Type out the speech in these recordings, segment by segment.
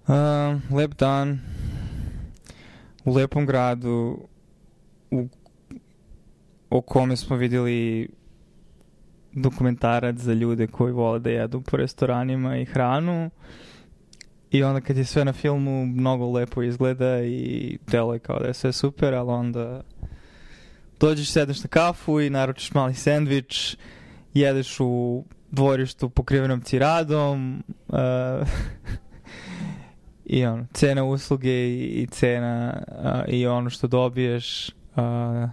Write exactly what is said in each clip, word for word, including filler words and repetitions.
Uh, lep dan u lepom gradu u, o kome smo vidjeli dokumentarac za ljude koji vole da jedu po restoranima i hranu. I onda kad je sve na filmu mnogo lepo izgleda i deluje kao da je sve super, ali onda dođeš, sedneš na kafu i naručiš mali sendvič, jedeš u dvorištu pokrivenom ciradom uh, i ono, cena usluge i, i cena uh, i ono što dobiješ uh,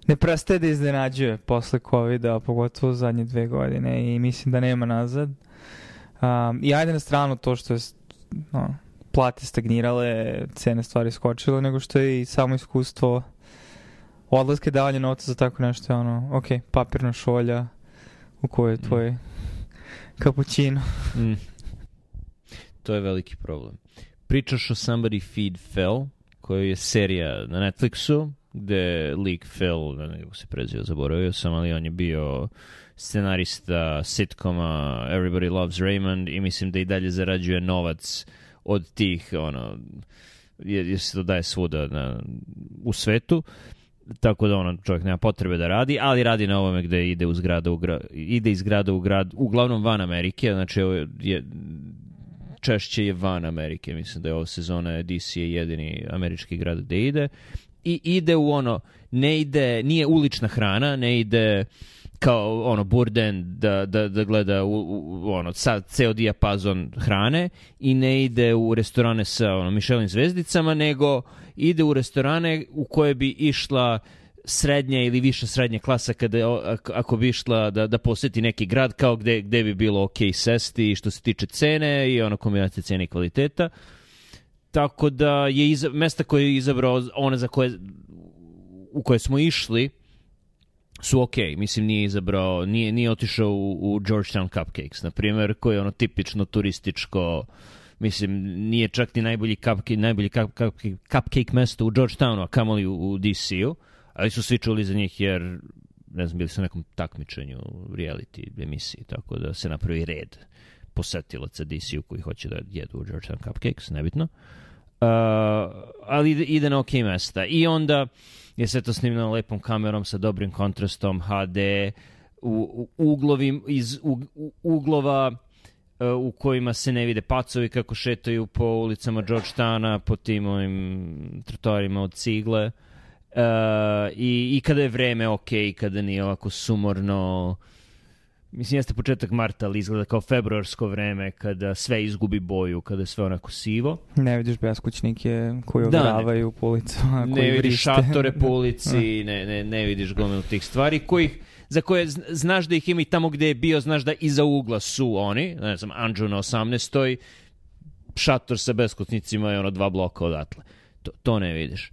ne prestaje da iznenađuje posle covida, pogotovo zadnje dve godine i mislim da nema nazad. Um, I ajde na stranu to što je no, plate stagnirale, cene stvari skočile, nego što je i samo iskustvo odlaske, davanje novca za tako nešto je ono, ok, papirna šolja u kojoj je tvoj mm. kapućino. Mm. To je veliki problem. Pričaš o Somebody Feed Phil, koja je serija na Netflixu, gde lik Phil, ne nego se prezio, zaboravio sam, ali on je bio scenarista sitkoma Everybody Loves Raymond i mislim da i dalje zarađuje novac od tih, ono, jer, jer se to daje svuda na, u svetu, tako da ono, čovjek nema potrebe da radi, ali radi na ovome gde ide, uz grada u gra, ide iz grada u grad, uglavnom van Amerike, znači ovo je, češće je van Amerike, mislim da je ova sezona D C je jedini američki grad gde ide i ide u ono, ne ide, nije ulična hrana, ne ide kao ono burden da, da, da gleda u, u, ono sad ceo dijapazon hrane i ne ide u restorane sa ono Michelin zvezdicama, nego ide u restorane u koje bi išla srednja ili viša srednja klasa kada ako bi išla da, da posjeti neki grad kao gde, gde bi bilo ok sesti što se tiče cene i ono kombinacije cene i kvaliteta. Tako da je iza, mesta koje je izabrao one za koje u koje smo išli su ok, mislim nije izabrao, nije, nije otišao u, u Georgetown Cupcakes, na primjer, koji je ono tipično turističko, mislim, nije čak ni najbolji cupcake, najbolji cupcake, cupcake mesto u Georgetownu, a kamoli u, u D C-u, ali su svi čuli za njih jer, ne znam, bili su na nekom takmičenju reality emisiji, tako da se napravi red posetilaca D C-u koji hoće da jedu u Georgetown Cupcakes, nebitno. Uh, ali ide, ide na ok mesta. I onda je sve to snimljeno lepom kamerom sa dobrim kontrastom, H D, u, u uglovim, iz u, u, uglova uh, u kojima se ne vide pacovi kako šetaju po ulicama Georgetowna, po tim ovim trotoarima od cigle. Uh, i, I kada je vreme ok, kada nije ovako sumorno. Mislim, jeste početak marta, ali izgleda kao februarsko vreme, kada sve izgubi boju, kada je sve onako sivo. Ne vidiš beskućnike koji ogravaju po ulicama, koji ne vidiš vrište. Šatore po ulici, ne, ne, ne vidiš gomilu tih stvari, kojih, za koje znaš da ih ima i tamo gde je bio, znaš da iza ugla su oni, ne znam, Anđu na osamnaestoj, šator sa beskućnicima je ono dva bloka odatle. To, to ne vidiš.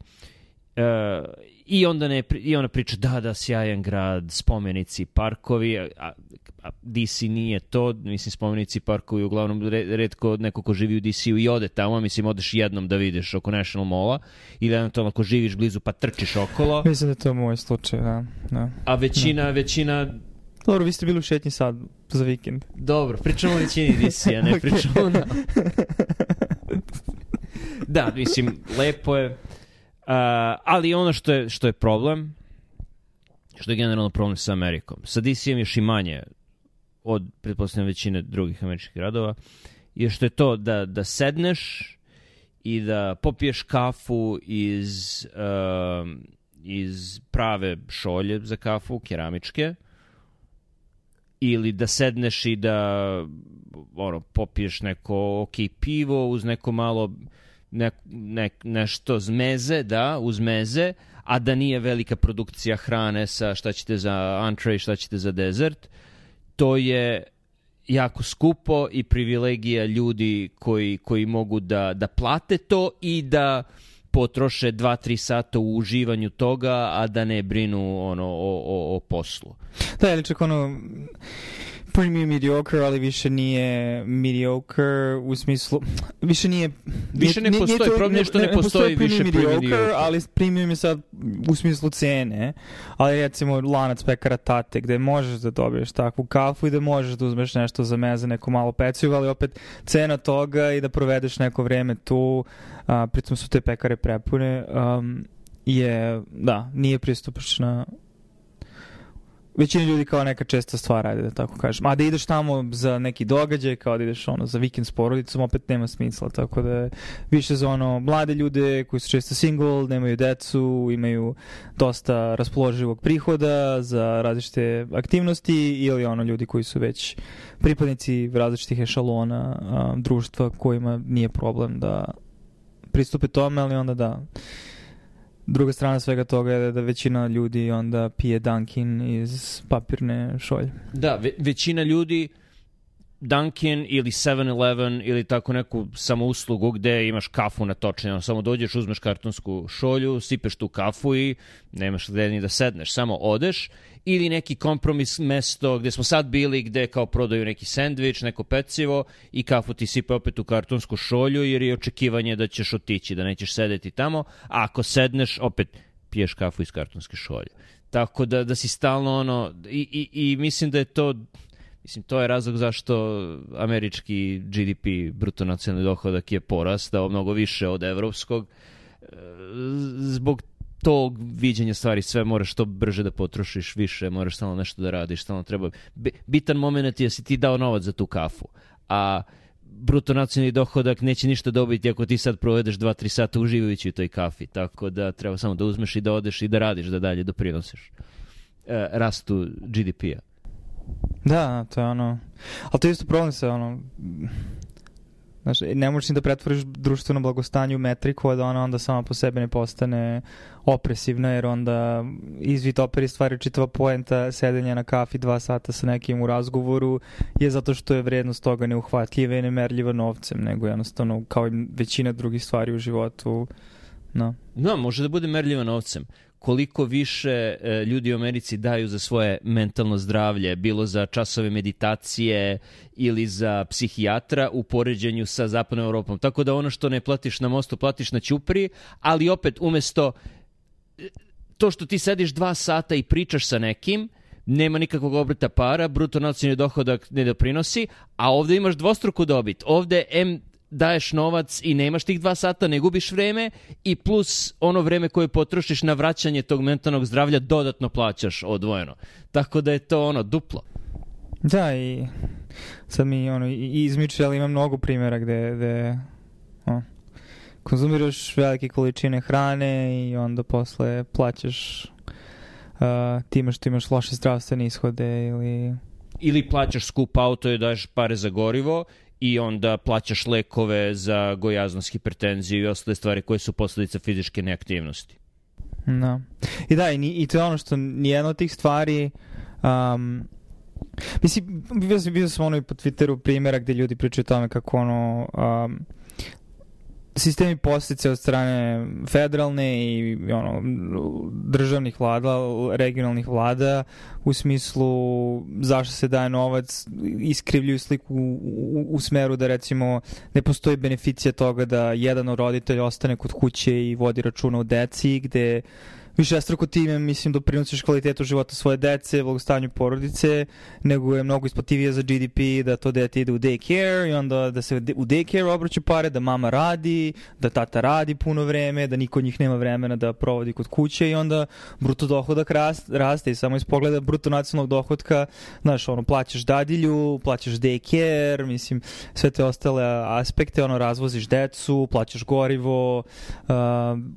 Uh, i onda ne i ona priča da da sjajan grad, spomenici, parkovi, a, a D C nije to, mislim spomenici, parkovi uglavnom retko neko ko živi u D C-u i ode tamo, mislim odeš jednom da vidiš oko National Malla ili eventualno ako živiš blizu pa trčiš okolo. Mislim da je to moj slučaj, da. da. A većina, da. većina Dobro, vi ste bili u šetnji sad za vikend. Dobro, pričamo o većini D C-a, ne okay. pričamo na... Da, mislim, lepo je. Uh, ali ono što je, što je problem, što je generalno problem sa Amerikom, sa D C-em još i manje od, pretpostavljam, većine drugih američkih gradova, je što je to da, da sedneš i da popiješ kafu iz, uh, iz prave šolje za kafu, keramičke, ili da sedneš i da ono, popiješ neko ok pivo uz neko malo Ne, ne, nešto zmeze, da, uz meze, a da nije velika produkcija hrane sa šta ćete za entree, šta ćete za dezert. To je jako skupo i privilegija ljudi koji, koji mogu da, da plate to i da potroše dva tri sata u uživanju toga, a da ne brinu ono, o, o, o poslu. Da, ili čak ono... premium mediocre, ali više nije mediocre u smislu, više nije... Više ne nije, postoji, nije to, problem je što ne, ne postoji, postoji više premium mediocre, ali premium je sad u smislu cene, ali recimo lanac pekara Tate, gde možeš da dobiješ takvu kafu i da možeš da uzmeš nešto za meze, neko malo pecivo, ali opet cena toga i da provedeš neko vreme tu, a, pritom su te pekare prepune, um, je, da, nije pristupačna. Većina ljudi kao neka česta stvar radi, da tako kažem. A da ideš tamo za neki događaj, kao da ideš ono, za vikend s porodicom, opet nema smisla. Tako da je više za ono mlade ljude koji su često single, nemaju decu, imaju dosta raspoloživog prihoda za različite aktivnosti ili ono ljudi koji su već pripadnici različitih ešalona a, društva kojima nije problem da pristupe tome, ali onda da... Druga strana svega toga je da većina ljudi onda pije Dunkin iz papirne šolje. Da, ve- većina ljudi Dunkin ili seven eleven ili tako neku samouslugu gde imaš kafu natočenu, samo dođeš, uzmeš kartonsku šolju, sipeš tu kafu i nemaš gde ni da sedneš, samo odeš, ili neki kompromis mesto gde smo sad bili, gde kao prodaju neki sendvič, neko pecivo i kafu ti sipe opet u kartonsku šolju jer je očekivanje da ćeš otići, da nećeš sedeti tamo, a ako sedneš opet piješ kafu iz kartonske šolje. Tako da, da si stalno ono, i, i, i mislim da je to... Mislim, to je razlog zašto američki G D P, bruto nacionalni dohodak, je porastao mnogo više od evropskog. Zbog tog viđenja stvari sve moraš što brže da potrošiš više, moraš stalno nešto da radiš, stalno treba... Bitan moment je da si ti dao novac za tu kafu, a bruto nacionalni dohodak neće ništa dobiti ako ti sad provedeš dva tri sata uživajući u toj kafi, tako da treba samo da uzmeš i da odeš i da radiš, da dalje doprinosiš e, rastu G D P-a. Da, to je ono... Ali to je isto problem se, ono... Znaš, ne možeš ni da pretvoriš društveno blagostanje u metriku, a da ona onda sama po sebi ne postane opresivna, jer onda izvit operi stvari čitava poenta sedenja na kafi dva sata sa nekim u razgovoru je zato što je vrednost toga neuhvatljiva i nemerljiva novcem, nego jednostavno kao i većina drugih stvari u životu. No, no može da bude merljiva novcem. Koliko više e, ljudi u Americi daju za svoje mentalno zdravlje, bilo za časove meditacije ili za psihijatra u poređenju sa zapadnom Evropom. Tako da ono što ne platiš na mostu, platiš na ćupriji, ali opet umesto to što ti sediš dva sata i pričaš sa nekim, nema nikakvog obrata para, bruto nacionalni dohodak ne doprinosi, a ovde imaš dvostruku dobit. Ovde em daješ novac i nemaš tih dva sata, ne gubiš vreme i plus ono vreme koje potrošiš na vraćanje tog mentalnog zdravlja dodatno plaćaš odvojeno. Tako da je to ono duplo. Da, i sad mi ono, i izmiče, ali ima mnogo primjera gde, gde o, konzumiraš velike količine hrane i onda posle plaćaš uh, time što imaš loše zdravstvene ishode ili... Ili plaćaš skup auto i daješ pare za gorivo i onda plaćaš lekove za gojaznost, hipertenziju i ostale stvari koje su posledica fizičke neaktivnosti. No. I da, i, i to je ono što nijedno od tih stvari... Um, mislim, vidio sam, vidio sam ono i po Twitteru primjera gde ljudi pričaju o tome kako ono... Um, sistemi postice od strane federalne i ono, državnih vlada, regionalnih vlada u smislu zašto se daje novac, iskrivljuju sliku u, u, u smeru da recimo ne postoji beneficija toga da jedan od roditelja ostane kod kuće i vodi računa o deci, gde višestruko time, mislim, doprinosiš kvalitetu života svoje dece, blagostanju porodice, nego je mnogo isplativije za G D P da to dete ide u daycare i onda da se u daycare obraću pare, da mama radi, da tata radi puno vreme, da niko od njih nema vremena da provodi kod kuće i onda bruto dohodak rast, raste i samo iz pogleda bruto nacionalnog dohodka, znaš, ono, plaćaš dadilju, plaćaš daycare, mislim, sve te ostale aspekte, ono, razvoziš decu, plaćaš gorivo, uh,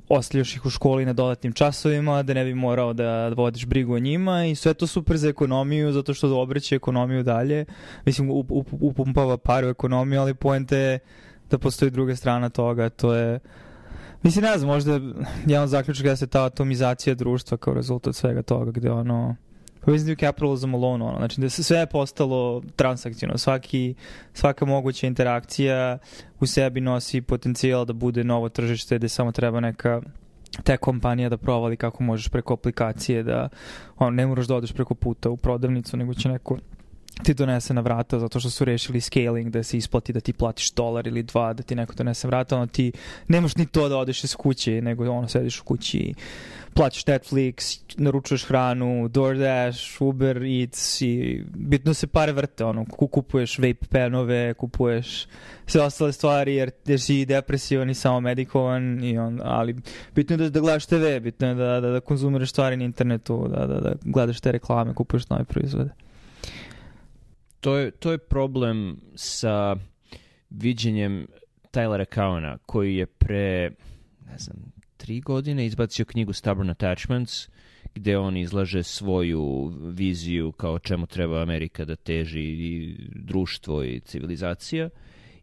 ostavljaš ih u školi na dodatnim časovima, da ne bi morao da vodiš brigu o njima i sve to super za ekonomiju zato što obraća ekonomiju dalje. Mislim, up, up, upumpava par u ekonomiju, ali poenta je da postoji druga strana toga. To je, mislim, ne znam, možda jedan zaključak da se ta atomizacija društva kao rezultat svega toga, gde ono povezati capitalism alone, ono, znači da se sve je postalo transakcijno, svaki, svaka moguća interakcija u sebi nosi potencijal da bude novo tržište gde samo treba neka te kompanija da provali kako možeš preko aplikacije da on, ne moraš da odeš preko puta u prodavnicu, nego će neko ti donese na vrata zato što su rešili scaling da se isplati da ti platiš dolar ili dva da ti neko donese vrata, ono ti nemaš ni to da odeš iz kuće, nego ono sediš u kući, plaćaš Netflix, naručuješ hranu, DoorDash, Uber Eats i bitno se pare vrte, ono, kupuješ vape penove, kupuješ sve ostale stvari jer, jer si depresivan i samo medikovan, i on, ali bitno je da, da gledaš te ve, bitno je da, da, da konzumiraš stvari na internetu, da, da, da gledaš te reklame, kupuješ nove proizvode. To je, to je problem sa viđenjem Tylera Cowena, koji je pre, ne znam, tri godine izbacio knjigu Stubborn Attachments, gde on izlaže svoju viziju kao čemu treba Amerika da teži, i društvo i civilizacija.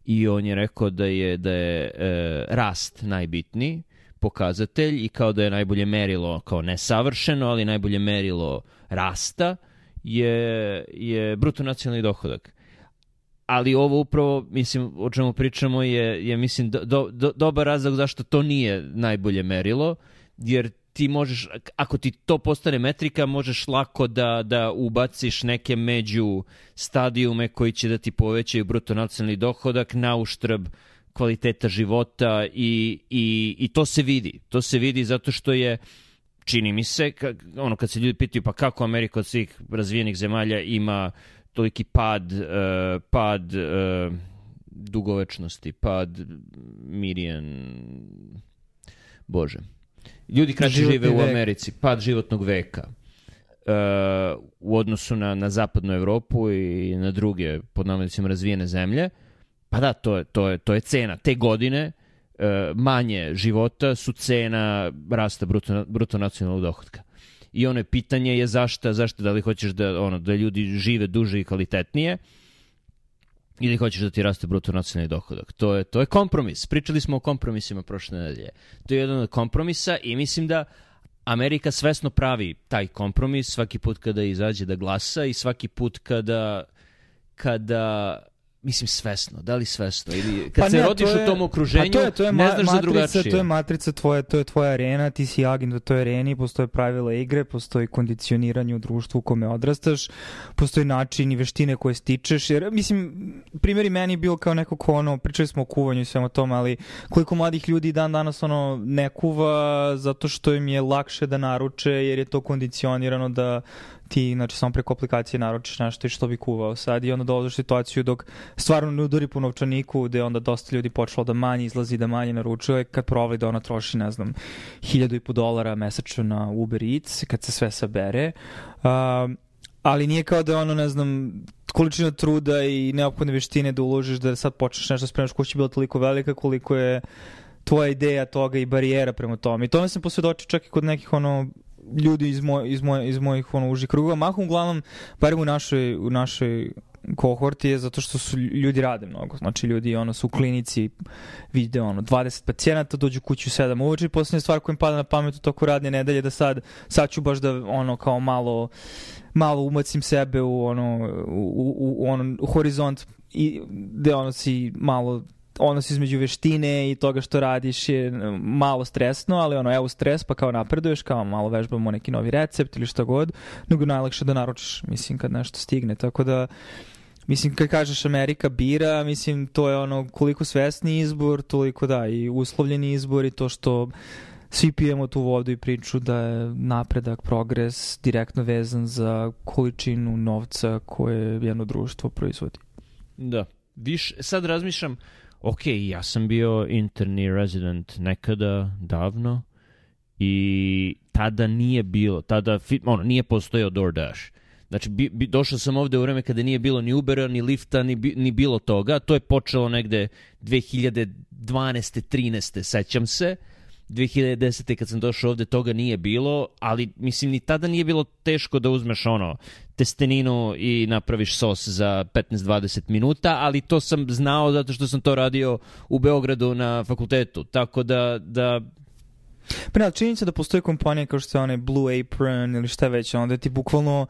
I on je rekao da je, da je e, rast najbitniji pokazatelj i kao da je najbolje merilo, kao nesavršeno, ali najbolje merilo rasta je, je bruto nacionalni dohodak. Ali ovo upravo, mislim, o čemu pričamo je, je mislim, do, do, dobar razlog zašto to nije najbolje merilo, jer ti možeš, ako ti to postane metrika, možeš lako da, da ubaciš neke među stadijume koji će da ti povećaju bruto nacionalni dohodak na uštrb kvaliteta života i, i, i to se vidi. To se vidi zato što je, čini mi se, ka, ono kad se ljudi pitaju pa kako Amerika od svih razvijenih zemalja ima toliki pad, uh, pad uh, dugovečnosti, pad Mirian, Bože. Ljudi kraće žive u Americi, pad životnog veka uh, u odnosu na, na zapadnu Evropu i na druge, pod navodnicima, razvijene zemlje. Pa da, to je, to je, to je cena. Te godine uh, manje života su cena rasta bruto, bruto nacionalnog dohotka. I ono je pitanje je zašto, zašto da li hoćeš da, ono, da ljudi žive duže i kvalitetnije ili hoćeš da ti raste bruto nacionalni dohodak. To je, to je kompromis. Pričali smo o kompromisima prošle nedelje. To je jedan od kompromisa i mislim da Amerika svesno pravi taj kompromis svaki put kada izađe da glasa i svaki put kada, kada mislim svesno, da li svesno ili kad pa se ne, rodiš je, u tom okruženju, to je, to je ne znaš ma, za drugačije. To je matrica tvoje, to je tvoja arena, ti si agent u toj areni, postoje pravila igre, postoji kondicioniranje u društvu u kome odrastaš, postoji način i veštine koje stičeš, jer mislim, primjer i meni je bio kao neko ko ono, pričali smo o kuvanju i svema tome, ali koliko mladih ljudi dan danas ono ne kuva zato što im je lakše da naruče jer je to kondicionirano da ti, znači, samo preko aplikacije naručiš nešto i što bi kuvao sad i onda dolaziš situaciju dok stvarno ne udari po novčaniku gde onda dosta ljudi počelo da manje izlazi, da manje naručuje, kad provali da ona troši, ne znam, hiljadu i po dolara mesečno na Uber Eats, kad se sve sabere. Uh, ali nije kao da ono, ne znam, količina truda i neophodne veštine da uložiš da sad počneš nešto spremaš kući bila toliko velika koliko je tvoja ideja toga i barijera prema tome. I tome sam posvjedočio čak i kod nekih ono ljudi iz, moj, iz, moj, iz mojih ono, užih krugova. Mahom uglavnom, barem u našoj, u našoj kohorti je zato što su ljudi rade mnogo. Znači ljudi ono, su u klinici, vide ono, dvadeset pacijenata, dođu kući u sedam uveče i posljednja stvar koja im pada na pamet u toku radne nedelje da sad, sad ću baš da ono kao malo malo umacim sebe u ono u, u, u, ono, u horizont i gde ono si malo odnos između veštine i toga što radiš je malo stresno, ali ono, evo stres, pa kao napreduješ, kao malo vežbamo neki novi recept ili šta god, nego najlakše da naručiš, mislim, kad nešto stigne. Tako da, mislim, kad kažeš Amerika bira, mislim, to je ono koliko svesni izbor, toliko da, i uslovljeni izbor i to što svi pijemo tu vodu i priču da je napredak, progres direktno vezan za količinu novca koje jedno društvo proizvodi. Da. Viš, sad razmišljam, ok, ja sam bio interni resident nekada, davno, i tada nije bilo, tada ono, nije postojao DoorDash. Znači, bi, bi, došao sam ovde u vreme kada nije bilo ni Ubera, ni Lifta, ni, ni bilo toga. To je počelo negde dve hiljade dvanaeste trinaeste sećam se. dve hiljade desete kad sam došao ovde toga nije bilo, ali mislim ni tada nije bilo teško da uzmeš ono testeninu i napraviš sos za petnaest dvadeset minuta, ali to sam znao zato što sam to radio u Beogradu na fakultetu, tako da... da... Pa ne, činjenica da postoje kompanije kao što je onaj Blue Apron ili šta već, onda ti bukvalno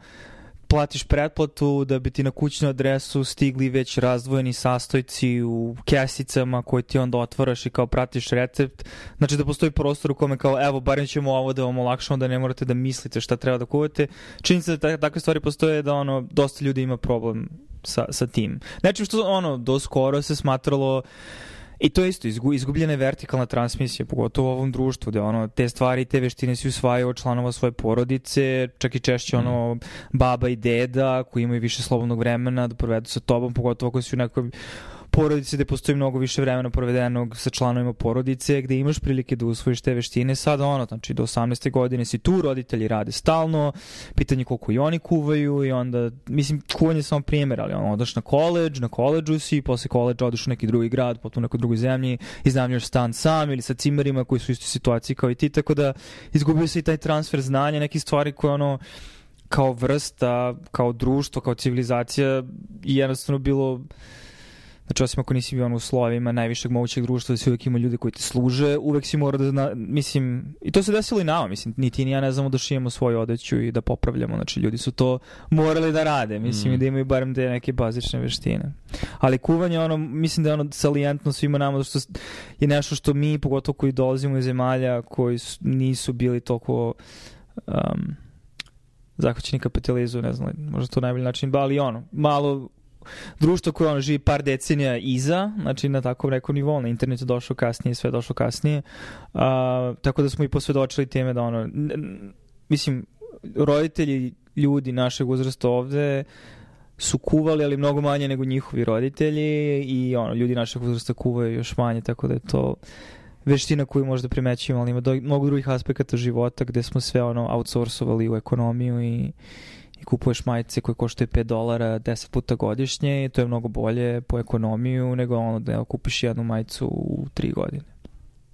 platiš pretplatu da bi ti na kućnu adresu stigli već razdvojeni sastojci u kesicama koje ti onda otvaraš i kao pratiš recept. Znači da postoji prostor u kome kao evo, barem ćemo ovo da vam olakšamo da ne morate da mislite šta treba da kuvate. Činjenica da takve stvari postoje da ono, dosta ljudi ima problem sa, sa tim. Znači što ono, do skoro se smatralo. I to je isto, izgubljena je vertikalna transmisija, pogotovo u ovom društvu, gde ono, te stvari, te veštine se usvajaju od članova svoje porodice, čak i češće ono, baba i deda koji imaju više slobodnog vremena da provedu sa tobom, pogotovo ako si u nekoj porodice gde postoji mnogo više vremena provedenog sa članovima porodice, gde imaš prilike da usvojiš te veštine. Sad ono, znači do osamnaeste godine si tu, roditelji rade stalno, pitanje koliko i oni kuvaju i onda, mislim, kuvanje je samo primjer, ali ono, odaš na koleđ, na koleđu si, posle koleđa odeš u neki drugi grad, potom u nekoj drugoj zemlji, iznajmljuješ stan sam ili sa cimerima koji su u istoj situaciji kao i ti, tako da izgubio se i taj transfer znanja, neke stvari koje ono, kao vrsta, kao društvo, kao civilizacija i jednostavno bilo. Znači, osim ako nisi bio ono u slovima najvišeg mogućeg društva, da si uvek ima ljude koji te služe, uvek si mora da zna, mislim, i to se desilo i nama, mislim, ni ti ni ja ne znamo da šijemo svoju odeću i da popravljamo, znači ljudi su to morali da rade, mislim, mm. i da imaju barem te neke bazične veštine. Ali kuvanje, ono, mislim da je ono salijentno svima nama, što je nešto što mi, pogotovo koji dolazimo iz zemalja koji su, nisu bili toliko um, zahvaćeni kapitalizmu, ne znam, možda to najbolji način, ali ono, malo društvo koje ono živi par decenija iza, znači na tako nekom nivou, na internetu došlo kasnije, sve došlo kasnije, uh, tako da smo i posvedočili teme da ono, n- n- mislim, roditelji ljudi našeg uzrasta ovde su kuvali, ali mnogo manje nego njihovi roditelji i ono, ljudi našeg uzrasta kuvaju još manje, tako da je to veština koju možda primećujemo, ali ima do, mnogo drugih aspekata života gde smo sve ono outsourcovali u ekonomiju i i kupuješ majice koje koštaju pet dolara deset puta godišnje i to je mnogo bolje po ekonomiju nego ono da kupiš jednu majicu u tri godine.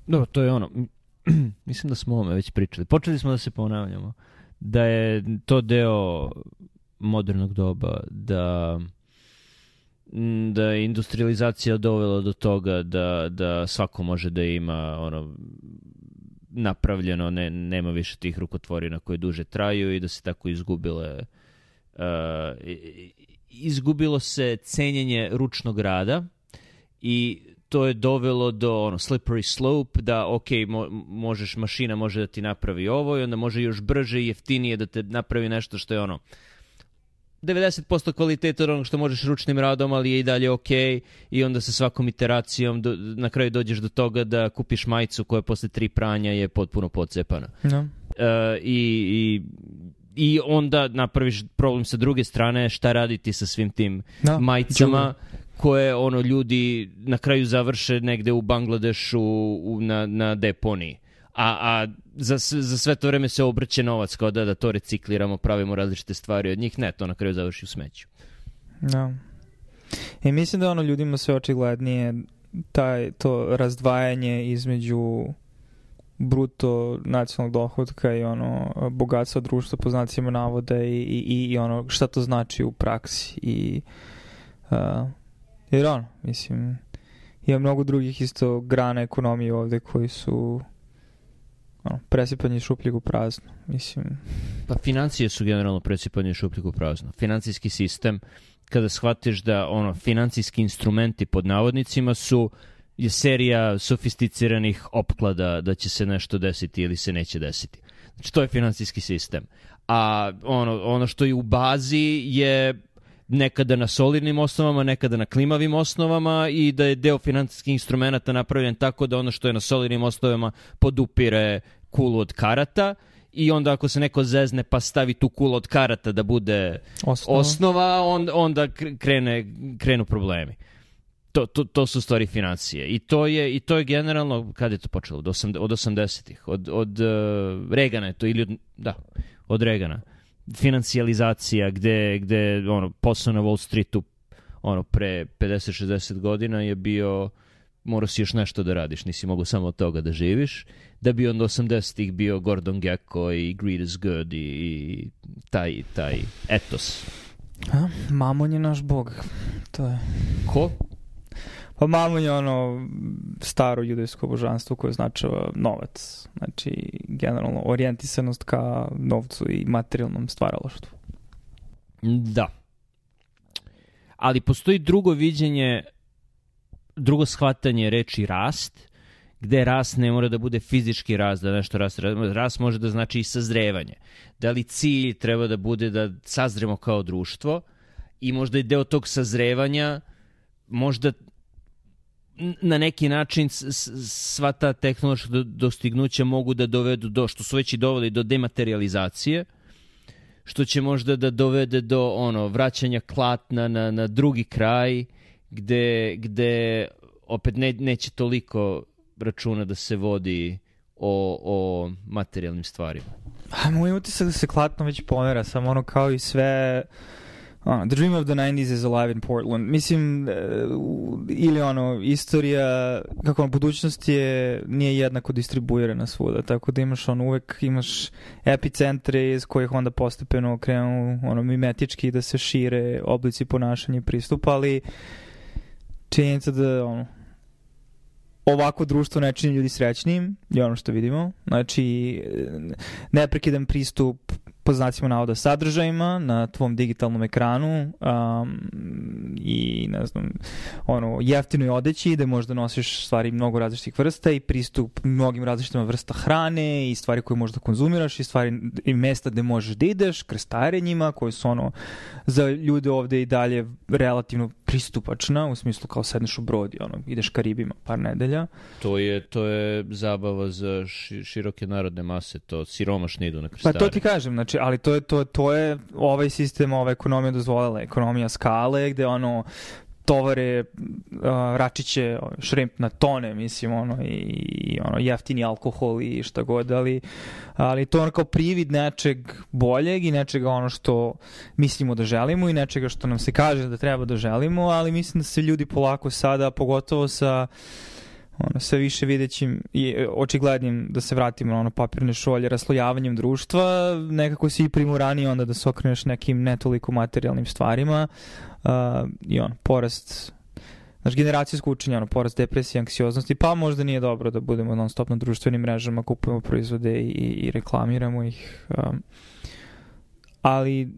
Dobro, to je ono, mislim da smo o ovome već pričali. Počeli smo da se ponavljamo. Da je to deo modernog doba, da da je industrializacija dovela do toga da, da svako može da ima ono napravljeno, ne, nema više tih rukotvorina koje duže traju i da se tako izgubile uh, izgubilo se cenjenje ručnog rada i to je dovelo do ono, slippery slope, da ok, mo, možeš, mašina može da ti napravi ovo i onda može još brže i jeftinije da te napravi nešto što je ono devedeset posto kvaliteta od onog što možeš ručnim radom, ali je i dalje ok i onda sa svakom iteracijom do, na kraju dođeš do toga da kupiš majicu koja posle tri pranja je potpuno pocepana. No. Uh, i, i, I onda napraviš problem sa druge strane, šta raditi sa svim tim no. majicama Čuva. koje ono ljudi na kraju završe negde u Bangladešu u, na, na deponiji. A, a za, za sve to vreme se obrće novac kao da, da to recikliramo, pravimo različite stvari od njih. Ne, to na kraju završi u smeću. No. I mislim da ono ljudima sve očiglednije taj, to razdvajanje između bruto nacionalnog dohotka i ono bogatstva društva po znacima navoda i, i, i ono šta to znači u praksi. I, uh, jer ono, mislim, ima mnogo drugih isto grana ekonomije ovde koji su ono, presipanje šupljeg u prazno, mislim. Pa financije su generalno presipanje šupljeg u prazno. Financijski sistem, kada shvatiš da ono, financijski instrumenti pod navodnicima su je serija sofisticiranih opklada da će se nešto desiti ili se neće desiti. Znači, to je financijski sistem. A ono, ono što je u bazi je nekada na solidnim osnovama, nekada na klimavim osnovama i da je deo financijskih instrumenta napravljen tako da ono što je na solidnim osnovama podupire kulu od karata i onda ako se neko zezne pa stavi tu kulu od karata da bude osnova, osnova on, onda krene, krenu problemi. To, to, to su stvari financije. I to je, i to je generalno, kada je to počelo? Od, osam, od osamdesetih. Od, od uh, Regana je to, ili od, da, od Regana. Financijalizacija gde, gde ono, posao na Wall Streetu ono, pre pedeset šezdeset godina je bio, morao si još nešto da radiš, nisi mogu samo od toga da živiš, da bi onda osamdesetih bio Gordon Gekko i Greed is Good i, i taj, taj etos. A, Mamon je naš bog. To je. Ko? Pa Mamon je ono staro judejsko božanstvo koje označava novac. Znači, generalno orijentisanost ka novcu i materijalnom stvaralaštvu. Da. Ali postoji drugo viđenje, drugo shvatanje reči rast, gde rast ne mora da bude fizički rast, da nešto rast, rast može da znači i sazrevanje. Da li cilj treba da bude da sazremo kao društvo i možda i deo tog sazrevanja možda na neki način sva ta tehnološka dostignuća mogu da dovedu do, što su već i doveli, do dematerializacije, što će možda da dovede do ono vraćanja klatna na, na drugi kraj, gde, gde opet ne, neće toliko računa da se vodi o, o materijalnim stvarima. A moj utisak da se klatno već pomera, samo ono kao i sve... Uh, the dream of the nineties is alive in Portland. Mislim, uh, ili ono, istorija, kako ono, budućnost je, nije jednako distribuirana svuda, tako da imaš ono, uvek imaš epicentre iz kojih onda postepeno krenu ono, mimetički da se šire oblici ponašanja i pristupa, ali činjenica da ono, ovako društvo ne čini ljudi srećnim, je ono što vidimo. Znači, neprekidan pristup po znacima navoda sadržajima na tvom digitalnom ekranu um, i ne znam, ono, jeftinoj odeći gde možda nosiš stvari mnogo različitih vrsta i pristup mnogim različitima vrsta hrane i stvari koje možda konzumiraš i stvari i mesta gde možeš da ideš, krstarenjima koje su ono za ljude ovde i dalje relativno pristupačna, u smislu kao sedneš u brod i ono, ideš Karibima par nedelja. To je, to je zabava za ši, široke narodne mase, to siromašni idu na krstarenje. Pa to ti kažem, znači, ali to je, to, to je ovaj sistem, ova ekonomija dozvolila, ekonomija skale, gde ono tovare, uh, račiće, šrimp na tone, mislim, ono, i, i ono, jeftini alkohol i šta god, ali, ali to je ono kao privid nečeg boljeg i nečega ono što mislimo da želimo i nečega što nam se kaže da treba da želimo, ali mislim da se ljudi polako sada, pogotovo sa ono, sve više videćim i očiglednim da se vratimo na ono papirne šolje, raslojavanjem društva, nekako si i primorani onda da se okreneš nekim ne toliko materijalnim stvarima uh, i on, porast znaš, generacijsko učenje, ono, porast depresije, anksioznosti, pa možda nije dobro da budemo non stop na društvenim mrežama, kupujemo proizvode i, i reklamiramo ih. Um, ali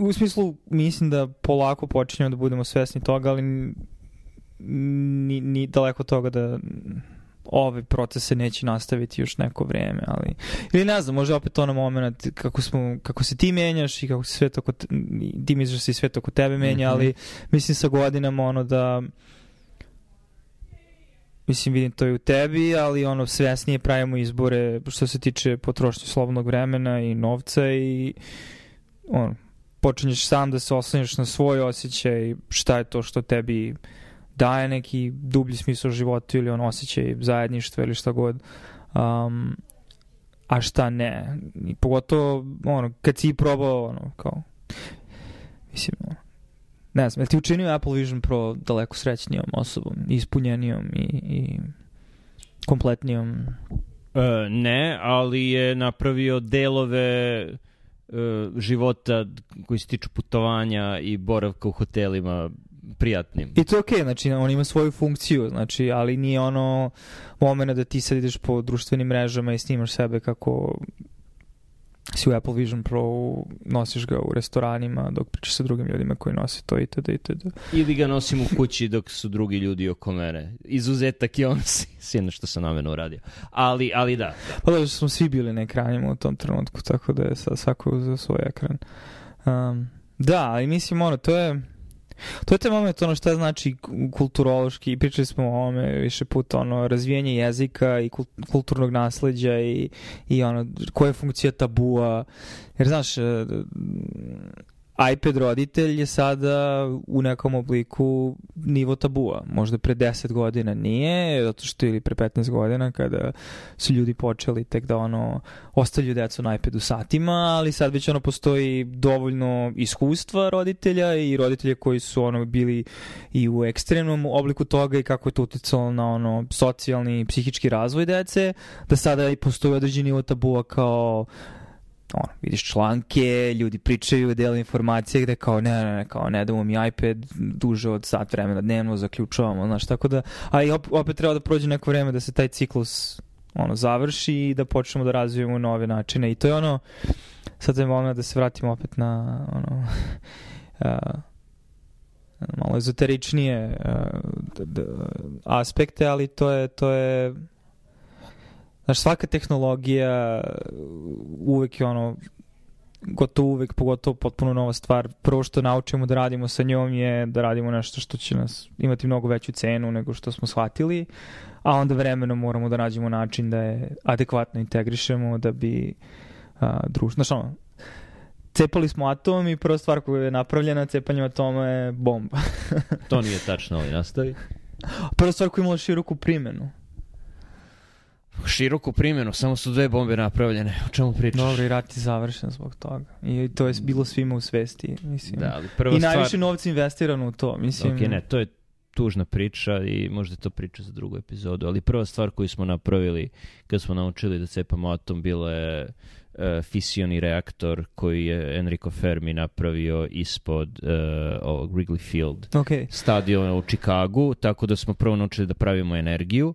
u smislu mislim da polako počinjemo da budemo svesni toga, ali ni, ni daleko toga da ove procese neće nastaviti još neko vreme, ali ili ne znam, možda opet ono moment kako smo, kako se ti menjaš i kako se svet oko te, ti misliš da se svet oko tebe menja, mm-hmm. ali mislim sa godinama ono da mislim vidim to i u tebi, ali ono svesnije pravimo izbore što se tiče potrošnje slobodnog vremena i novca i ono, počinješ sam da se oslanjaš na svoj osjećaj, šta je to što tebi daje neki dublji smisao životu ili on osjećaj zajedništva ili šta god. Um, a šta ne. I pogotovo, ono, kad si probao, ono, kao, mislim, ono, ne znam, je li ti učinio Apple Vision Pro daleko srećnijom osobom, ispunjenijom i, i kompletnijom? Uh, ne, ali je napravio delove uh, života koji se tiču putovanja i boravka u hotelima prijatnim. I to je okej, okay, znači on ima svoju funkciju, znači, ali nije ono momena da ti sad ideš po društvenim mrežama i snimaš sebe kako si u Apple Vision Pro, nosiš ga u restoranima dok pričaš sa drugim ljudima koji nose to itd. itd. Ili ga nosim u kući dok su drugi ljudi oko mene. Izuzetak je on sjeno što sam namjerno uradio. Ali, ali da. Pa da, smo svi bili na ekranima u tom trenutku, tako da je sad svako uzeo svoj ekran. Um, da, ali mislim ono, to je To je taj moment, ono šta znači kulturološki, pričali smo o ovome više puta, ono, razvijanje jezika i kulturnog nasleđa i, i ono, koja je funkcija tabua, jer znaš, iPad roditelj je sada u nekom obliku nivo tabua. Možda pre deset godina nije, zato što ili pre petnaest godina kada su ljudi počeli tek da ono ostavljaju decu na iPadu satima, ali sad već ono postoji dovoljno iskustva roditelja i roditelja koji su ono bili i u ekstremnom obliku toga i kako je to uticalo na ono socijalni i psihički razvoj dece, da sada i postoji određeni nivo tabua kao ono, vidiš članke, ljudi pričaju, dele informacije gde kao ne, ne, ne, kao ne damo mi iPad duže od sat vremena dnevno, zaključavamo, znaš, tako da, a i opet treba da prođe neko vreme da se taj ciklus ono, završi i da počnemo da razvijemo nove načine i to je ono, sad je moment da se vratimo opet na ono uh, malo ezoteričnije uh, d- d- aspekte, ali to je to je znaš, svaka tehnologija uvek je ono gotovo uvek, pogotovo potpuno nova stvar. Prvo što naučimo da radimo sa njom je da radimo nešto što će nas imati mnogo veću cenu nego što smo shvatili, a onda vremenom moramo da nađemo način da je adekvatno integrišemo da bi a, društvo... Znaš ono, cepali smo atom i prva stvar koja je napravljena cepanjem atoma je bomba. To nije tačno, ali nastavi. Prva stvar koja je imala široku primjenu. Široku primjenu, samo su dve bombe napravljene. O čemu pričaš? Dobro, i rat je završen zbog toga. I to je bilo svima u svesti. Mislim. Da, ali prva I stvar... najviše novca investirano u to. Mislim... Ok, ne, to je tužna priča i možda to priča za drugu epizodu, ali prva stvar koju smo napravili kad smo naučili da cepamo atom bila je uh, fisioni reaktor koji je Enrico Fermi napravio ispod uh, ovog Wrigley Field okay. stadiona u Chicagu, tako da smo prvo naučili da pravimo energiju.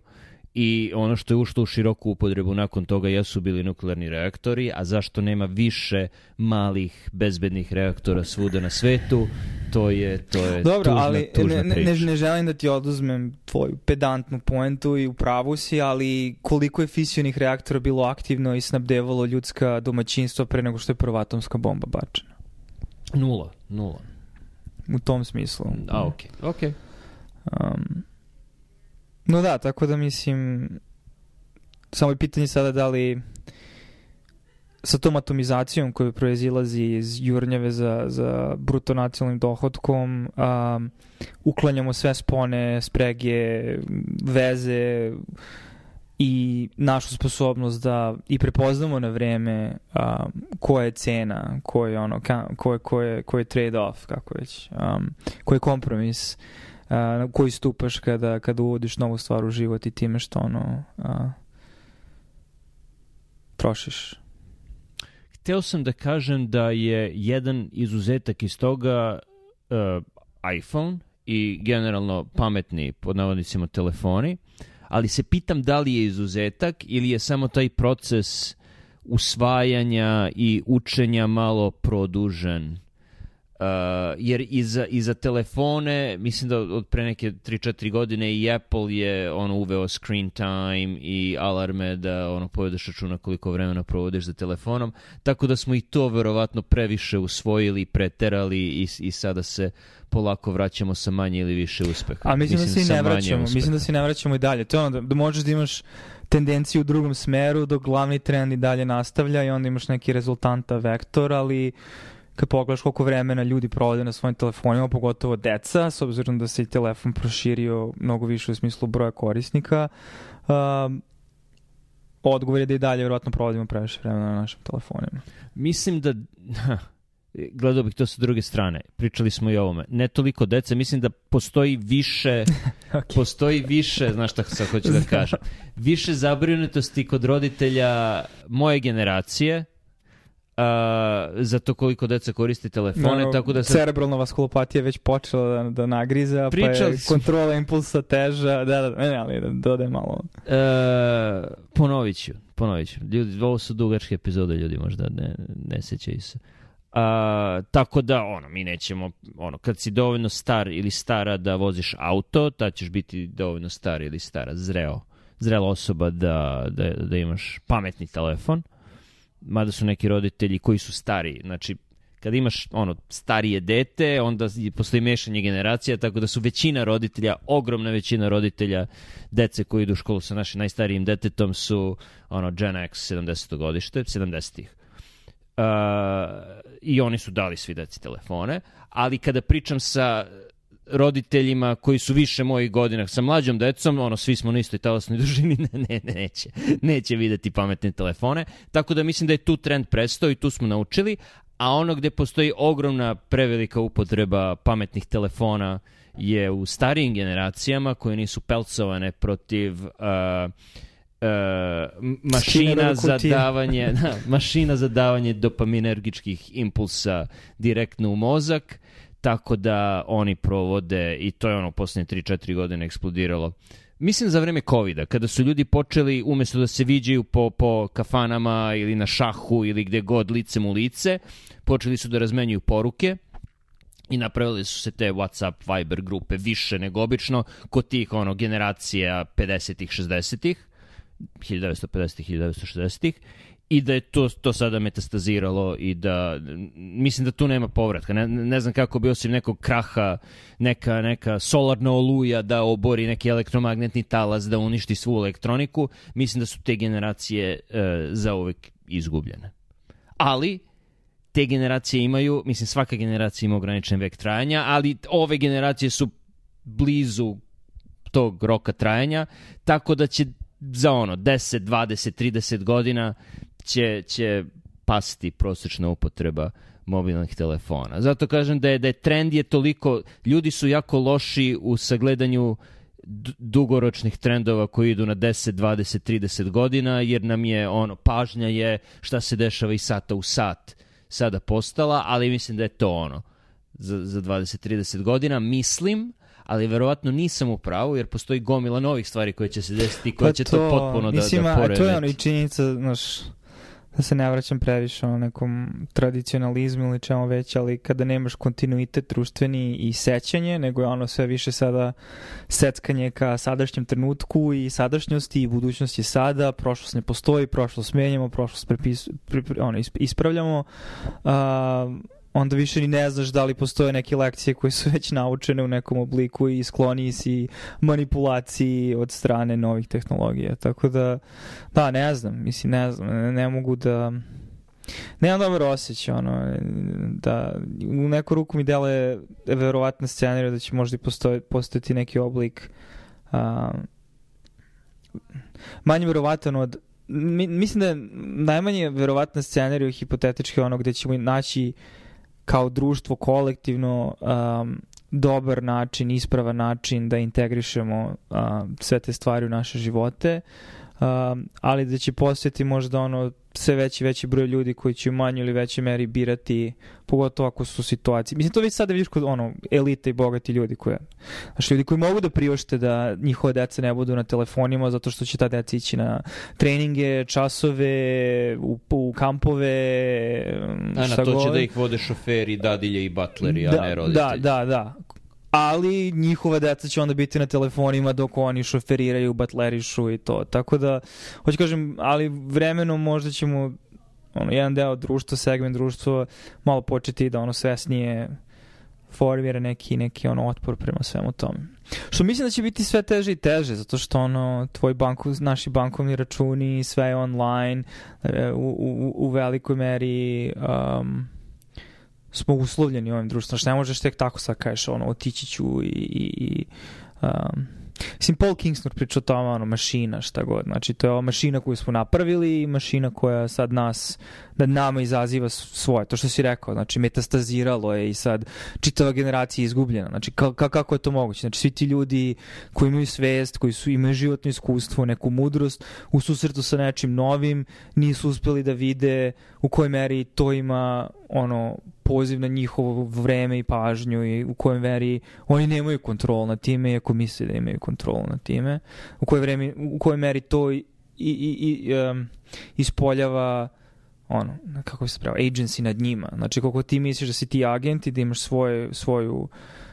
I ono što je ušlo u široku upotrebu nakon toga jesu bili nuklearni reaktori, a zašto nema više malih bezbednih reaktora svuda na svetu, to je, to je Dobro, tužna, ali tužna ne, priča. ne, ne želim da ti oduzmem tvoju pedantnu poentu i u pravu si, ali koliko je fisionih reaktora bilo aktivno i snabdevalo ljudska domaćinstva pre nego što je prva atomska bomba bačena? Nula, nula. U tom smislu. A, okej, okay. okej. Okay. Um, No da, tako da mislim, samo je pitanje sada da li sa tom atomizacijom koja proizilazi iz jurnjave za, za bruto nacionalnim dohodkom um, uklanjamo sve spone, sprege, veze i našu sposobnost da i prepoznamo na vreme um, koja je cena, koja je ono, ko je, ko je, ko je trade-off, kako već, um, koji je kompromis na uh, koji stupaš kada, kada uvodiš novu stvar u život i time što ono uh, trošiš. Hteo sam da kažem da je jedan izuzetak iz toga uh, iPhone i generalno pametni, pod navodnicima, telefoni, ali se pitam da li je izuzetak ili je samo taj proces usvajanja i učenja malo produžen. Uh, jer i za, i za telefone, mislim da od pre neke tri četiri godine i Apple je ono uveo screen time i alarme da ono povedeš računa koliko vremena provodiš za telefonom, tako da smo i to verovatno previše usvojili, preterali i, i sada se polako vraćamo sa manje ili više uspeha. A mislim, mislim da se i ne vraćamo, uspeha. mislim da se ne vraćamo i dalje. To je ono da, da možeš da imaš tendenciju u drugom smeru dok glavni trend i dalje nastavlja i onda imaš neki rezultanta vektor, ali kad pogledaš koliko vremena ljudi provode na svojim telefonima, pogotovo deca, s obzirom da se i telefon proširio mnogo više u smislu broja korisnika, um, odgovor je da i dalje vjerojatno provodimo previše vremena na našim telefonima. Mislim da... Gledao bih to sa druge strane. Pričali smo i o ovome. Ne toliko dece, mislim da postoji više... okay. Postoji više, znaš šta sad hoću da kažem, više zabrinutosti kod roditelja moje generacije, Uh, za to koliko deca koristi telefone, no, tako da sad... cerebralna vaskulopatija već počela da, da nagriza, Pričali pa je kontrola impulsa teža, da, da, ne, ali da dodaj malo. Uh, ponovit ću, ponovit ću. Ljudi, ovo su dugačke epizode, ljudi možda ne, ne sećaju se. Uh, tako da, ono, mi nećemo, ono, kad si dovoljno star ili stara da voziš auto, tad ćeš biti dovoljno star ili stara, zreo, zrela osoba da, da, da imaš pametni telefon. Mada su neki roditelji koji su stariji. Znači, kad imaš ono starije dete, onda postoji mešanje generacija, tako da su većina roditelja, ogromna većina roditelja dece koji idu u školu sa našim najstarijim detetom su ono Gen X sedamdeseto godište, sedamdesetih. Uh, I oni su dali svi deci telefone, ali kada pričam sa roditeljima koji su više mojih godina sa mlađom decom, ono, svi smo na istoj talasnoj dužini, ne, ne, ne, neće, neće videti pametne telefone, tako da mislim da je tu trend prestao i tu smo naučili, a ono gde postoji ogromna prevelika upotreba pametnih telefona je u starijim generacijama koje nisu pelcovane protiv uh, uh, mašina za davanje da, mašina za davanje dopaminergičkih impulsa direktno u mozak. Tako da oni provode, i to je ono posljednje tri četiri godine eksplodiralo, mislim za vreme covida, kada su ljudi počeli umjesto da se viđaju po, po kafanama ili na šahu ili gde god licem u lice, počeli su da razmenjuju poruke i napravili su se te WhatsApp, Viber grupe više nego obično kod tih ono, generacija pedesetih, šezdesetih, hiljadu devetsto pedesetih, hiljadu devetsto šezdesetih i da je to, to sada metastaziralo i da, mislim da tu nema povratka. Ne, ne znam kako bi osim nekog kraha, neka, neka solarna oluja da obori neki elektromagnetni talas, da uništi svu elektroniku. Mislim da su te generacije e, zauvek izgubljene. Ali te generacije imaju, mislim svaka generacija ima ograničen vek trajanja, ali ove generacije su blizu tog roka trajanja, tako da će za ono deset, dvadeset, trideset godina će, će pasti prosječna upotreba mobilnih telefona. Zato kažem da je, da je trend je toliko, ljudi su jako loši u sagledanju d- dugoročnih trendova koji idu na deset, dvadeset, trideset godina, jer nam je ono, pažnja je šta se dešava i sata u sat sada postala, ali mislim da je to ono za, za dvadeset, trideset godina, mislim, ali verovatno nisam u pravu, jer postoji gomila novih stvari koje će se desiti, koje pa će to, to potpuno mislim, da, da poremeti. To je ono i činjenica, znaš, da se ne vraćam previše o nekom tradicionalizmu ili čemu već, ali kada nemaš kontinuitet društveni i sećanje, nego je ono sve više sada seckanje ka sadašnjem trenutku i sadašnjosti i budućnosti sada, prošlost ne postoji, prošlost menjamo, prošlost prepis, pre, pre, ono, ispravljamo, uh, onda više ni ne znaš da li postoje neke lekcije koje su već naučene u nekom obliku i skloniji si manipulaciji od strane novih tehnologija. Tako da, da, ne znam, mislim, ne znam, ne, ne mogu da... Nemam dobar osjećaj, ono, da u neku ruku mi deluje verovatna scenarija da će možda i postoje, postojati neki oblik a, manje verovatan od... Mi, mislim da je najmanje verovatna scenarija hipotetički ono gde ćemo naći kao društvo kolektivno um, dobar način, ispravan način da integrišemo um, sve te stvari u naše živote, um, ali da će postojati možda ono sve veći veći broj ljudi koji će u manjoj ili većoj meri birati, pogotovo ako su situacije. Mislim, to već sada vidiš kod ono, elite i bogati ljudi koje, znači ljudi koji mogu da priušte da njihove deca ne budu na telefonima zato što će ta deca ići na treninge, časove, u, u kampove, a na to god. Će da ih vode šoferi, dadilje i butleri, da, a ne roditelji. Da, da, da. Ali njihova deca će onda biti na telefonima dok oni šoferiraju, batlerišu i to. Tako da, hoću kažem, ali vremenom možda ćemo ono, jedan deo društva, segment društva malo početi da ono svesnije formira neki, neki ono otpor prema svemu tome. Što mislim da će biti sve teže i teže, zato što ono, tvoj banku, naši bankovni računi, sve je online, u, u, u velikoj meri... Um, smo uslovljeni ovim društvom. Znači, ne možeš tek tako sad kažeš, ono, otići ću i... i, i um, mislim, Paul Kingsnor priča o tome, ono, mašina, šta god. Znači, to je ova mašina koju smo napravili i mašina koja sad nas, nad nama izaziva svoje. To što si rekao, znači, metastaziralo je i sad čitava generacija izgubljena. Znači, ka, ka, kako je to moguće? Znači, svi ti ljudi koji imaju svest, koji su, imaju životno iskustvo, neku mudrost, u susretu sa nečim novim, nisu uspeli da vide u kojoj meri to ima, ono, poziv na njihovo vreme i pažnju i u kojem veri oni nemaju kontrol nad time, iako misle da imaju kontrol nad time, u kojoj, vreme, u kojoj meri to i, i, i, um, ispoljava ono, kako se prava, agency nad njima. Znači, koliko ti misliš da si ti agent i da imaš svoje, svoju,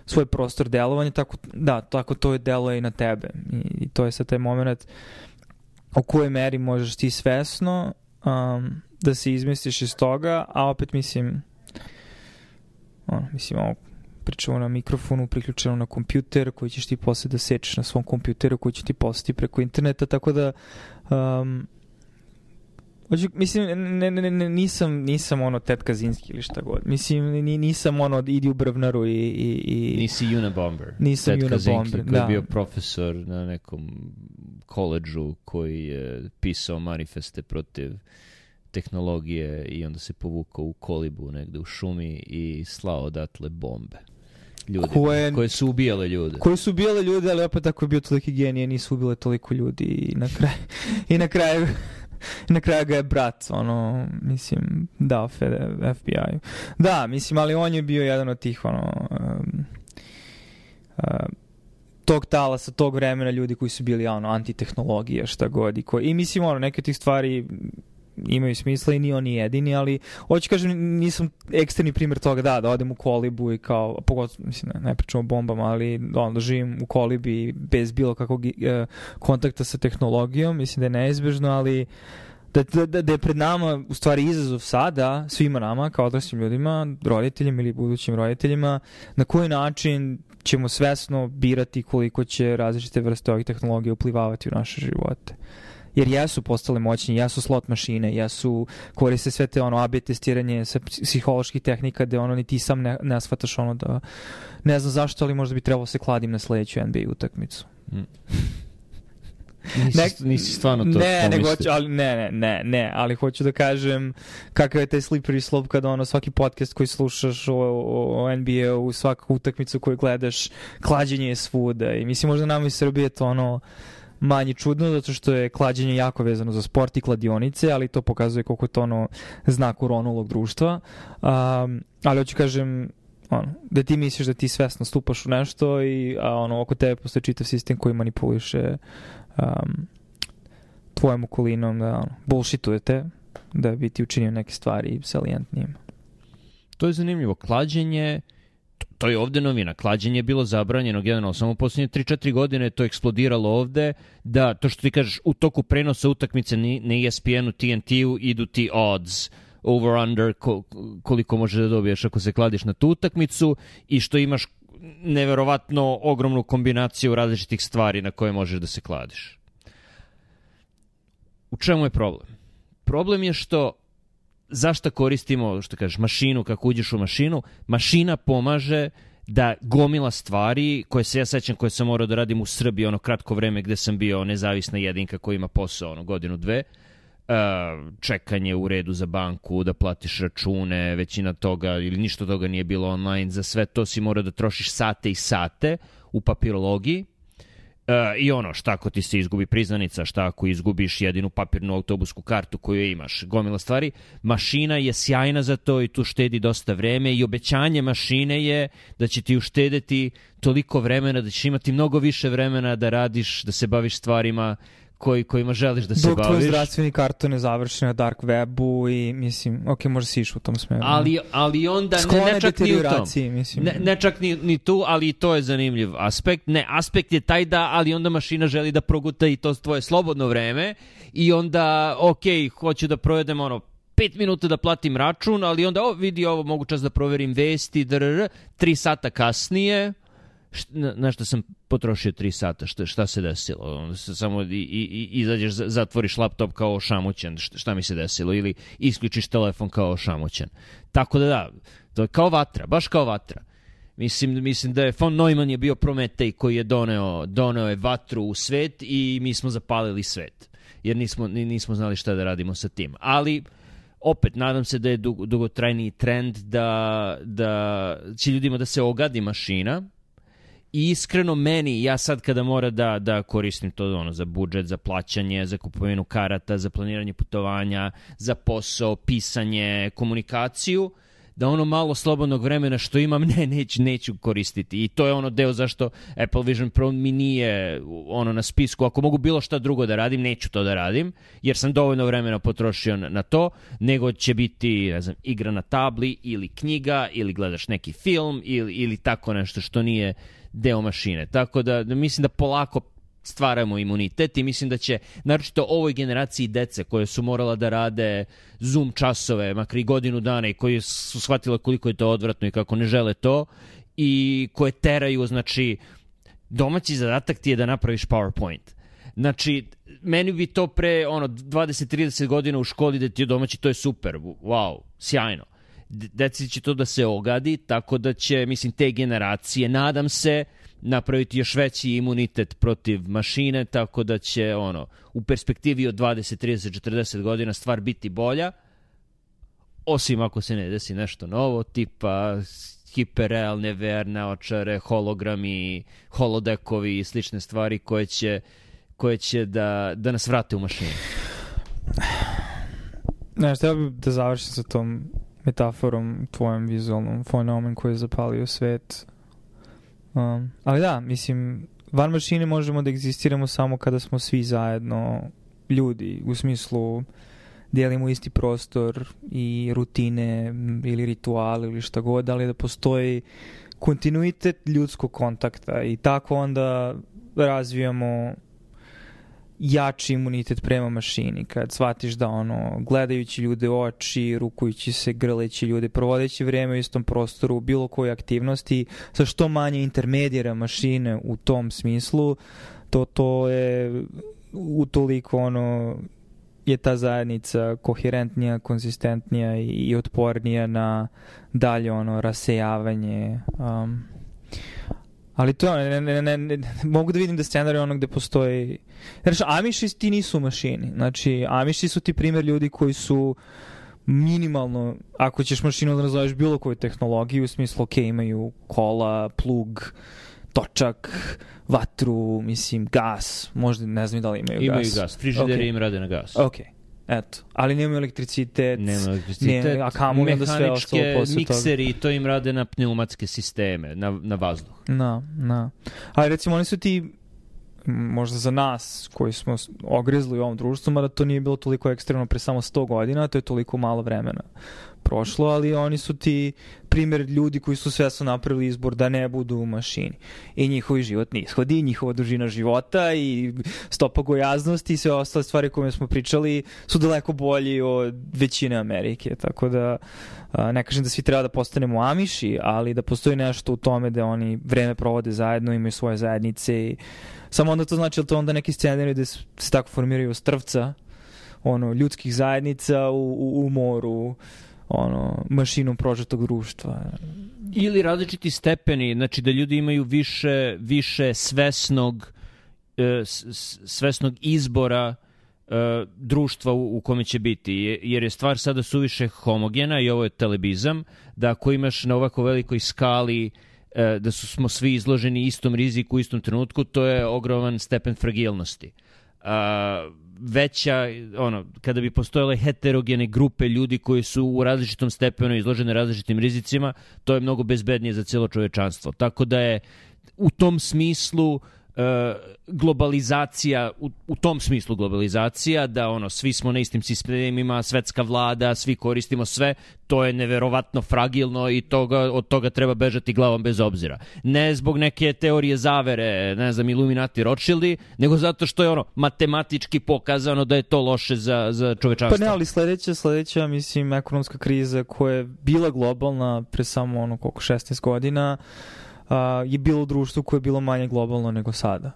svoj prostor delovanja, tako, da, tako to je deluje i na tebe. I, i to je sad taj moment u kojoj meri možeš ti svesno um, da se izmestiš iz toga, a opet mislim ono, mislim, ovo pričamo na mikrofonu, priključeno na kompjuter, koji ćeš ti posle da sečeš na svom kompjuteru, koji će ti poslati preko interneta, tako da um, hoću, mislim, ne, ne, ne, nisam, nisam ono Ted Kaczynski ili šta god. Mislim, nisam ono idi u Brvnaru i... i, i nisi Unabomber. Nisam Ted Unabomber, Kaczynski, koji je bio profesor na nekom koledžu koji je pisao manifeste protiv tehnologije i onda se povukao u kolibu negde u šumi i slao odatle bombe. Ljudi, koje, koje su ubijale ljude. Koje su ubijale ljude, ali opet ako je bio toliki genije, nisu ubile toliko ljudi i na kraju i na kraju i na kraju ga je brat, ono, mislim, dao F B I-u. Da, mislim, ali on je bio jedan od tih, ono, um, uh, tog talasa, tog vremena ljudi koji su bili ono, antitehnologija, šta god. I, ko, i mislim, ono, neke tih stvari imaju smisla i ni oni jedini, ali hoću kažem, nisam eksterni primjer toga, da, da odem u kolibu i kao, pogotovo, mislim, ne, ne pričam o bombama, ali ono, da živim u kolibi bez bilo kakvog e, kontakta sa tehnologijom, mislim da je neizbežno, ali da, da, da je pred nama u stvari izazov sada, svima nama, kao odraslim ljudima, roditeljima ili budućim roditeljima, na koji način ćemo svesno birati koliko će različite vrste ovih tehnologija uplivavati u naše živote. Jer jesu postale moćni, jesu slot mašine, jesu, koriste sve te ono A B testiranje sa psiholoških tehnika gde ono ni ti sam ne, ne shvataš ono da ne znam zašto, ali možda bi trebalo se kladim na sledeću N B A utakmicu. Mm. Nisi, ne, nisi stvarno to ne, pomislio. Ne, ali, ne, ne, ne, ne, ali hoću da kažem kakav je taj slippery slope kada ono svaki podcast koji slušaš o, o, o N B A-u, svaku utakmicu koju gledaš, klađenje je svuda i mislim možda nam iz Srbije to ono manje čudno, zato što je klađenje jako vezano za sport i kladionice, ali to pokazuje koliko je to ono znak uronulog društva. Um, ali hoću kažem, ono, da ti misliš da ti svesno stupaš u nešto i a, ono, oko tebe postoji čitav sistem koji manipuliše um, tvojom okolinom, da ono, bullshitujete, da bi ti učinio neke stvari salijentnijim. To je zanimljivo. Klađenje, to je ovde novina. Klađenje je bilo zabranjeno generalno. Samo u posljednje tri četiri godine je to eksplodiralo ovde, da to što ti kažeš u toku prenosa utakmice na E S P N-u, T N T-u idu ti odds, over-under, koliko možeš da dobiješ ako se kladiš na tu utakmicu i što imaš neverovatno ogromnu kombinaciju različitih stvari na koje možeš da se kladiš. U čemu je problem? Problem je što zašto koristimo, što kažeš, mašinu, kako uđeš u mašinu, mašina pomaže da gomila stvari koje se ja sećam, koje sam morao da radim u Srbiji ono kratko vreme gde sam bio nezavisna jedinka koja ima posao ono godinu, dve, čekanje u redu za banku, da platiš račune, većina toga ili ništa toga nije bilo online, za sve to si morao da trošiš sate i sate u papirologiji. Uh, i ono, šta ako ti se izgubi priznanica, šta ako izgubiš jedinu papirnu autobusku kartu koju imaš, gomila stvari. Mašina je sjajna za to i tu štedi dosta vreme i obećanje mašine je da će ti uštedeti toliko vremena, da ćeš imati mnogo više vremena da radiš, da se baviš stvarima koji, kojima želiš da se dok baviš. Dok tvoj zdravstveni karton je završen na dark webu i mislim, ok, možda si išao u tom smeru. Ali, ali onda ne, ne čak ni u tom. Mislim. Ne, ne čak ni, ni tu, ali i to je zanimljiv aspekt. Ne, aspekt je taj da, ali onda mašina želi da proguta i to tvoje slobodno vreme i onda, ok, hoću da provedem ono pet minuta da platim račun, ali onda, o, vidi ovo, mogu čas da proverim vesti, drr, tri sata kasnije, na, na što sam potrošio tri sata, šta, šta se desilo? Onda se samo i, i, izađeš, zatvoriš laptop kao ošamućen, šta, šta mi se desilo? Ili isključiš telefon kao ošamućen. Tako da da, to je kao vatra, baš kao vatra. Mislim, mislim da je von Neumann je bio Prometej koji je doneo, doneo je vatru u svet i mi smo zapalili svet. Jer nismo, nismo znali šta da radimo sa tim. Ali opet, nadam se da je dug, dugotrajniji trend da, da će ljudima da se ogadi mašina. I iskreno meni, ja sad kada mora da, da koristim to ono, za budžet, za plaćanje, za kupovinu karata, za planiranje putovanja, za posao, pisanje, komunikaciju, da ono malo slobodnog vremena što imam, ne, neću, neću koristiti. I to je ono deo zašto Apple Vision Pro mi nije ono na spisku. Ako mogu bilo šta drugo da radim, neću to da radim, jer sam dovoljno vremena potrošio na, na to, nego će biti, ne znam, igra na tabli ili knjiga, ili gledaš neki film, ili, ili tako nešto što nije deo mašine. Tako da, da mislim da polako stvaramo imunitet i mislim da će, naročito ovoj generaciji dece koje su morala da rade Zoom časove, makar i godinu dana i koji su shvatile koliko je to odvratno i kako ne žele to i koje teraju, znači, domaći zadatak ti je da napraviš PowerPoint. Znači, meni bi to pre ono dvadeset trideset godina u školi da ti je domaći, to je super, wow, sjajno. Deci će to da se ogadi, tako da će, mislim, te generacije, nadam se, napraviti još veći imunitet protiv mašine, tako da će, ono, u perspektivi od dvadeset, trideset, četrdeset godina stvar biti bolja, osim ako se ne desi nešto novo, tipa hiperrealne V R naočare, hologrami, holodekovi i slične stvari koje će, koje će da, da nas vrate u mašinu. Ne, što ja bih da završim sa tom metaforom tvojom vizualnom, von Neumann koji je zapalio svet. Um, ali da, mislim, van mašine možemo da egzistiramo samo kada smo svi zajedno ljudi, u smislu dijelimo isti prostor i rutine ili rituale ili šta god, ali da postoji kontinuitet ljudskog kontakta i tako onda razvijamo jači imunitet prema mašini, kad shvatiš da ono, gledajući ljude u oči, rukujući se, grleći ljude, provodeći vreme u istom prostoru, bilo koje aktivnosti, sa što manje intermedijera mašine u tom smislu, to, to je utoliko ono, je ta zajednica koherentnija, konzistentnija i, i otpornija na dalje ono rasejavanje. Um, ali to ne, ne, ne, ne, mogu da vidim da scenarij ono gde postoji... Znači, Amiši ti nisu mašini. Znači, Amiši su ti primjer ljudi koji su minimalno, ako ćeš mašinu da nazoveš bilo koju tehnologiju, u smislu, ok, imaju kola, plug, točak, vatru, mislim, gas, možda ne znam da li imaju, imaju gas. Imaju gas, frižideri okay. im rade na gas. Ok, eto. Ali nemaju elektricitet, nema elektricitet, ne, a kamo onda sve ostalo posle mikseri, to im rade na pneumatske sisteme, na, na vazduh. Na, na. Ali recimo oni su ti, možda za nas koji smo ogrizli u ovom društvu, mada to nije bilo toliko ekstremno pre samo sto godina, to je toliko malo vremena prošlo, ali oni su ti primjer ljudi koji su svesno napravili izbor da ne budu u mašini. I njihovi životni ishodi, njihova dužina života i stopa gojaznosti i sve ostale stvari koje smo pričali su daleko bolji od većine Amerike. Tako da ne kažem da svi treba da postanemo Amiši, ali da postoji nešto u tome da oni vreme provode zajedno, imaju svoje zajednice i samo onda to znači da to onda neki scenarij da se tako formiraju strvca ono, ljudskih zajednica u, u, u moru ono, mašinom prožetog društva. Ili različiti stepeni, znači da ljudi imaju više, više svesnog, e, svesnog izbora e, društva u, u kome će biti. Jer je stvar sada suviše homogena i ovo je telebizam, da ako imaš na ovako velikoj skali e, da su, smo svi izloženi istom riziku u istom trenutku, to je ogroman stepen fragilnosti. A, veća, ono, kada bi postojale heterogene grupe ljudi koji su u različitom stepenu izložene različitim rizicima, to je mnogo bezbednije za cijelo čovečanstvo. Tako da je u tom smislu e, globalizacija, u, u tom smislu globalizacija, da ono, svi smo na istim sistemima, svetska vlada, svi koristimo sve, to je neverovatno fragilno i toga, od toga treba bežati glavom bez obzira. Ne zbog neke teorije zavere, ne znam, Illuminati, Rothschildi, nego zato što je ono matematički pokazano da je to loše za, za čovečanstvo. Pa ne, ali sledeća, sledeća, mislim, ekonomska kriza koja je bila globalna pre samo ono koliko šesnaest godina, uh, je bilo u društvu koje je bilo manje globalno nego sada.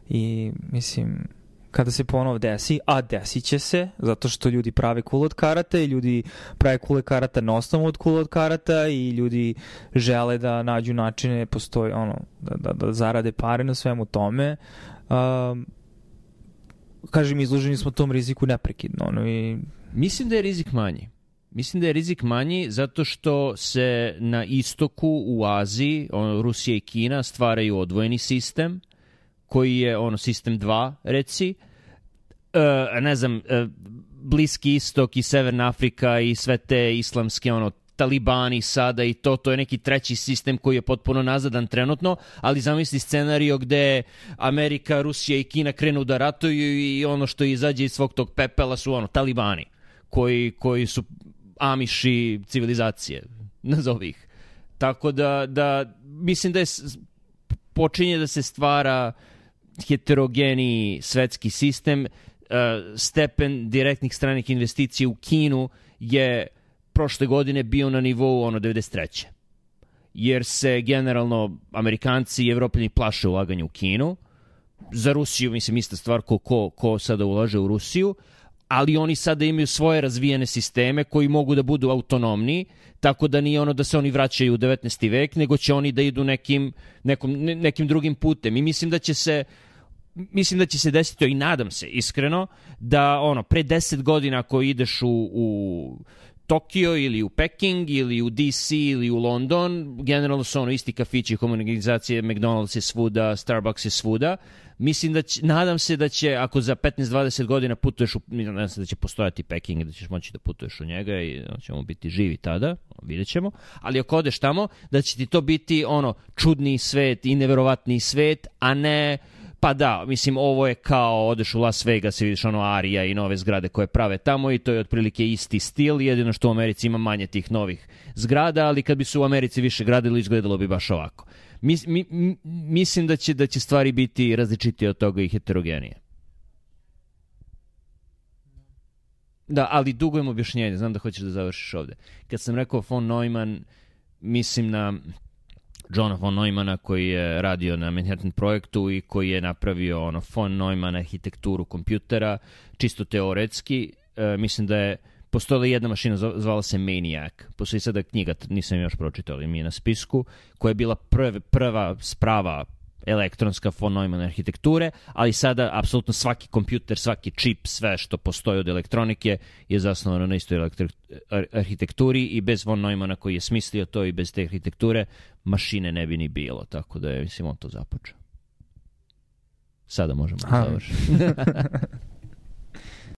I mislim, kada se ponovo desi, a desit će se, zato što ljudi prave kule od karata i ljudi prave kule karata na osnovu od kule od karata i ljudi žele da nađu načine, postoji ono, da, da, da zarade pare na svemu tome. Um, kažem, izloženi smo tom riziku neprekidno. Ono, i... Mislim da je rizik manji. Mislim da je rizik manji zato što se na istoku u Aziji, ono, Rusija i Kina stvaraju odvojeni sistem koji je ono sistem dva, reci, e, ne znam, e, Bliski istok i Severna Afrika i sve te islamske ono talibani sada i to, to je neki treći sistem koji je potpuno nazadan trenutno, ali zamisli scenario gde Amerika, Rusija i Kina krenu da ratuju i ono što izađe iz svog tog pepela su ono talibani koji, koji su Amiši civilizacije, nazovi ih. Tako da, da mislim da je počinje da se stvara heterogeniji svetski sistem. Stepen direktnih stranih investicija u Kinu je prošle godine bio na nivou ono devedeset treće. Jer se generalno Amerikanci i Evropljani plaše ulaganja u Kinu. Za Rusiju, mislim, ista stvar ko, ko, ko sada ulaže u Rusiju, ali oni sada imaju svoje razvijene sisteme koji mogu da budu autonomni, tako da nije ono da se oni vraćaju u devetnaesti vek, nego će oni da idu nekim, nekom, ne, nekim drugim putem. I mislim da će se mislim da će se desiti, i nadam se iskreno, da ono pre deset godina ako ideš u, u Tokio ili u Peking ili u D C ili u London, generalno su ono isti kafići, komunikacije, McDonald's je svuda, Starbucks je svuda. Mislim da će, nadam se da će, ako za petnaest dvadeset godina putuješ u, nadam se da će postojati Peking i da ćeš moći da putuješ u njega i da ćemo biti živi tada, vidjet ćemo. Ali ako odeš tamo, da će ti to biti ono čudni svet i neverovatni svet, a ne... Pa da, mislim, ovo je kao odeš u Las Vegas i vidiš ono Arija i nove zgrade koje prave tamo i to je otprilike isti stil, jedino što u Americi ima manje tih novih zgrada, ali kad bi se u Americi više gradilo, izgledalo bi baš ovako. Mis, mi, mi, mislim da će, da će stvari biti različitije od toga i heterogenije. Da, ali dugujem objašnjenje, znam da hoćeš da završiš ovde. Kad sam rekao von Neumann, mislim na Johna von Neumana koji je radio na Manhattan projektu i koji je napravio ono von Neumann arhitekturu kompjutera, čisto teoretski. E, mislim da je postojala jedna mašina, zvala se Maniac. Postoji sada knjiga, nisam još pročitao, ali mi je na spisku, koja je bila prv, prva sprava elektronska von Neumann arhitekture, ali sada apsolutno svaki kompjuter, svaki čip, sve što postoji od elektronike je zasnovano na istoj elektri- arhitekturi i bez von Neumanna koji je smislio to i bez te arhitekture mašine ne bi ni bilo, tako da je, mislim, on to započeo. Sada možemo da završiti.